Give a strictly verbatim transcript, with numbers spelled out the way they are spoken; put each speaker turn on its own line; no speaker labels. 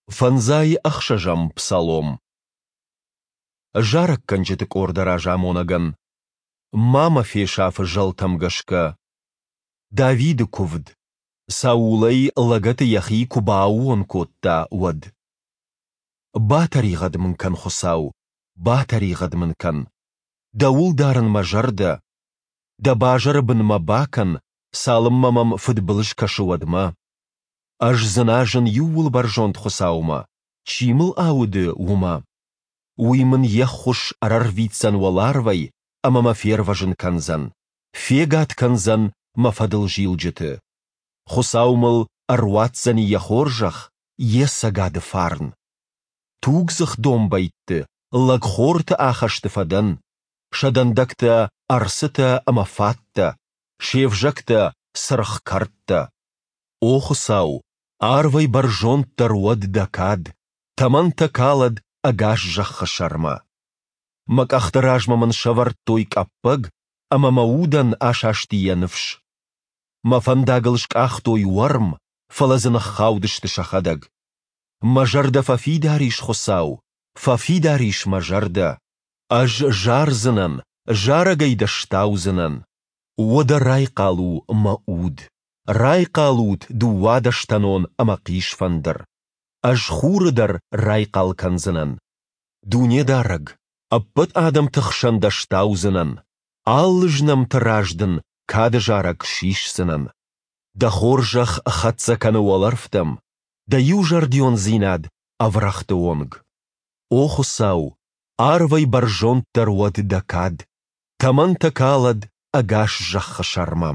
Фӕндзай ӕхсӕзӕм псалом. Зарӕггӕнджыты къорды разамонӕгӕн. Ма мӕ фесаф-ы зӕлтӕм гӕсгӕ. Давиды куывд, Саул ӕй лӕгӕты йӕхи куы бааууон кодта, уӕд. Батӕригъӕд мын кӕн, Хуыцау, батӕригъӕд мын кӕн. Дӕуыл дарын мӕ зӕрдӕ. Дӕ базыры бын мӕ бакӕн, цалынмӕ мӕм фыдбылыз кӕсы, уӕдмӕ. Ӕз дзыназын Иууылбӕрзонд Хуыцаумӕ, чи мыл ауды, уымӕ. Уый мын йе ххуыс ӕрӕрвитдзӕн уӕларвӕй ӕмӕ мӕ фервӕзын кӕндзӕн, фегад кӕндзӕн мӕ фӕдылзилджыты. Хуыцау мыл ӕруадздзӕни йӕ хорзӕх, йе цӕгады фарн. Тугдзых домбӕйтты, лӕгхорты ахӕсты фӕдӕн, сӕ дӕндӕгтӕ ӕрцытӕ ӕмӕ фаттӕ, се взӕгтӕ цыргъ кӕрдтӕ. О Хуыцау, арвӕй бӕрзонддӕр уӕд дӕ кад, тӕмӕнтӕ калӕд ӕгас зӕххы сӕрмӕ. Мӕ къӕхты размӕ мын сӕвӕрдтой къӕппӕг, ӕмӕ мӕ удӕн асасти йӕ ныфс. Мӕ фӕндагыл скъахтой уӕрм, фӕлӕ дзы ныххаудысты сӕхӕдӕг. Мӕ зӕрдӕ фӕфидар ис, Хуыцау, фӕфидар ис мӕ зӕрдӕ. Ӕз зардзынӕн, зарӕгӕй дӕ стаудзынӕн. Уӕдӕ райхъал у, мӕ уд! Райхъал ут, дыууадӕстӕнон ӕмӕ хъисфӕндыр! Ӕз хуры дӕр райхъал кӕндзынӕн. Дунедарӕг, ӕппӕт адӕмты хсӕн дӕ стаудзынӕн, алы знӕмты раз дын кады зарӕг сисдзынӕн. Дӕ хорзӕх хӕццӕ кӕны уӕлӕрвтӕм, дӕ иузӕрдиондзинад ӕврӕгъты онг. О Хуыцау, арвӕй бӕрзонддӕр уӕд дӕ кад, тӕмӕнтӕ калӕд ӕгас зӕххы сӕрмӕ.